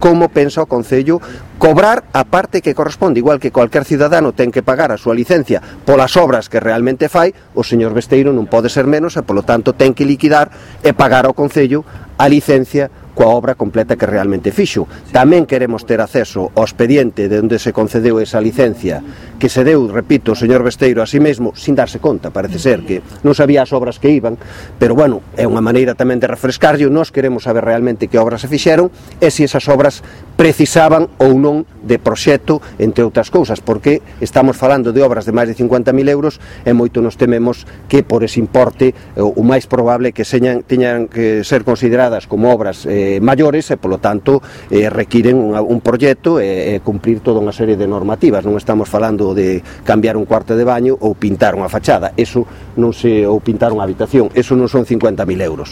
como pensa o Concello cobrar a parte que corresponde, igual que cualquier cidadano ten que pagar a súa licencia polas obras que realmente fai, o señor Besteiro non pode ser menos e, polo tanto, ten que liquidar e pagar ao Concello a licencia coa obra completa que realmente fixo. Tamén queremos ter acceso ao expediente de onde se concedeu esa licencia que se deu, repito, o señor Besteiro a sí mesmo, sin darse conta, parece ser que non sabía as obras que iban, pero, bueno, é unha maneira tamén de refrescarlle. Nós queremos saber realmente que obras se fixeron e se esas obras precisaban ou non de proxecto, entre outras cousas, porque estamos falando de obras de máis de 50.000 euros e moito nos tememos que por ese importe o máis probable que teñan que ser consideradas como obras maiores e, polo tanto, requiren un proxecto e cumprir toda unha serie de normativas. Non estamos falando de cambiar un cuarto de baño ou pintar unha fachada, ou pintar unha habitación, eso non son 50.000 euros.